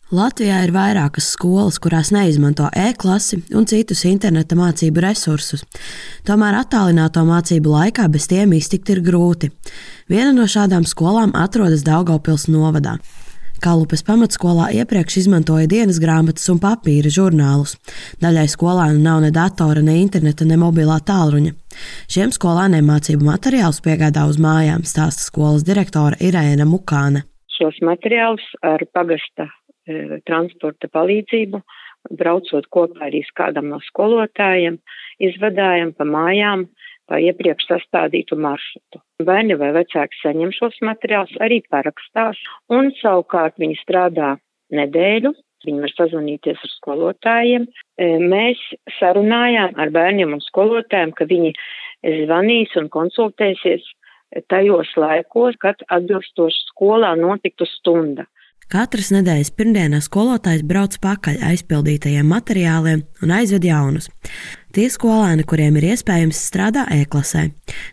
Latvijā ir vairākas skolas, kurās neizmanto e-klasi un citus interneta mācību resursus. Tomēr attālināto mācību laikā bez tiem iztikt ir grūti. Viena no šādām skolām atrodas Daugavpils novadā. Kalupes pamatskolā iepriekš izmantoja dienas grāmatas un papīra žurnālus. Daļai skolēnu nav ne datora, ne interneta, ne mobilā tālruņa. Šiem skolēniem mācību materiālus piegādā uz mājām, stāsta skolas direktore Irēna Mukāne. Šos materiālus ar pagasta transporta palīdzību, braucot kopā arī kādam no skolotājiem, izvadājam pa mājām pa iepriekš sastādītu maršrutu. Bērni vai vecāki saņem šos materiālus, arī parakstās, un savukārt viņi strādā nedēļu, viņi var sazvanīties ar skolotājiem. Mēs sarunājām ar bērniem un skolotājiem, ka viņi zvanīs un konsultēsies tajos laikos, kad atbilstoši skolā notiktu stunda. Katras nedēļas pirmdienā skolotājs brauc pakaļ aizpildītajiem materiāliem un aizved jaunus. Tie skolēni, kuriem ir iespējams, strādā e-klasē.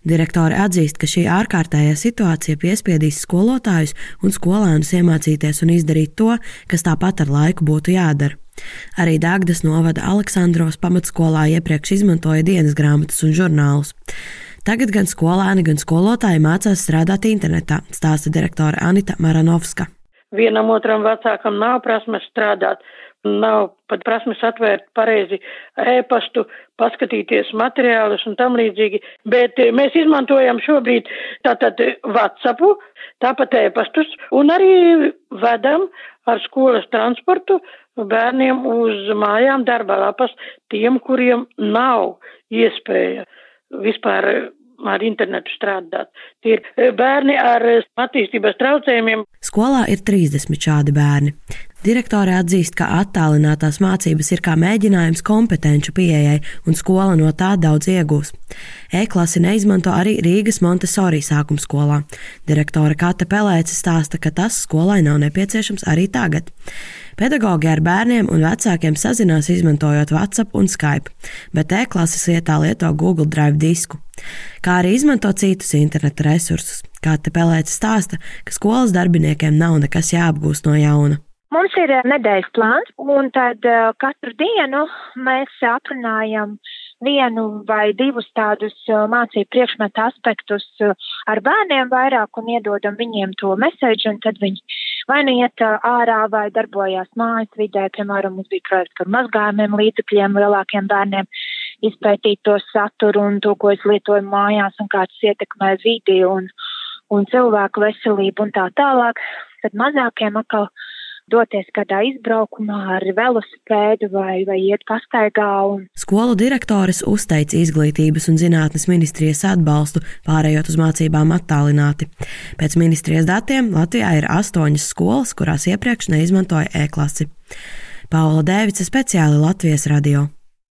Direktore atzīst, ka šī ārkārtējā situācija piespiedīs skolotājus un skolēnus iemācīties un izdarīt to, kas tāpat ar laiku būtu jādara. Arī Dagdas novada Aleksandros pamatskolā iepriekš izmantoja dienas grāmatas un žurnālus. Tagad gan skolēni, gan skolotāji mācās strādāt internetā, stāsta direktore Anita Maranovska. Vienam otram vecākam nav prasmes strādāt, nav pat prasmes atvērt pareizi e-pastu, paskatīties materiālus un tam līdzīgi, bet mēs izmantojam šobrīd tātad WhatsAppu, tāpat e-pastus un arī vedam ar skolas transportu bērniem uz mājām darba lapas tiem, kuriem nav iespēja vispār ar internetu strādāt. Tie ir bērni ar attīstības traucējumiem. Skolā ir 30 šādi bērni. Direktore atzīst, ka attālinātās mācības ir kā mēģinājums kompetenču pieejai, un skola no tā daudz iegūs. E-klasi neizmanto arī Rīgas Montessori sākumskolā. Direktore Kate Pelēce stāsta, ka tas skolai nav nepieciešams arī tagad. Pedagogi ar bērniem un vecākiem sazinās izmantojot WhatsApp un Skype, bet e-klases vietā lieto Google Drive disku. Kā arī izmanto citus interneta resursus. Kate Pelēce stāsta, ka skolas darbiniekiem nav nekas jāapgūst no jauna. Mums ir nedēļas plāns, un tad katru dienu mēs atrunājam vienu vai divus tādus mācību priekšmetu aspektus ar bērniem vairāk un iedodam viņiem to mesēģi, un tad viņi vai nu iet ārā vai darbojās mājas vidē, piemēram, mums bija projekts par mazgājumiem līdzekļiem lielākiem bērniem, izpētīt to saturu un to, ko es lietoju mājās un kā tas ietekmē vidi un cilvēku veselību un tā tālāk. Tad mazākiem atkal doties kādā izbraukumā ar velosipēdu vai iet pastaigā. Skolu direktores uzteica Izglītības un zinātnes ministrijas atbalstu, pārējot uz mācībām attālināti. Pēc ministrijas datiem Latvijā ir 8 skolas, kurās iepriekš neizmantoja e-klasi. Paula Dēvice, speciāli Latvijas radio.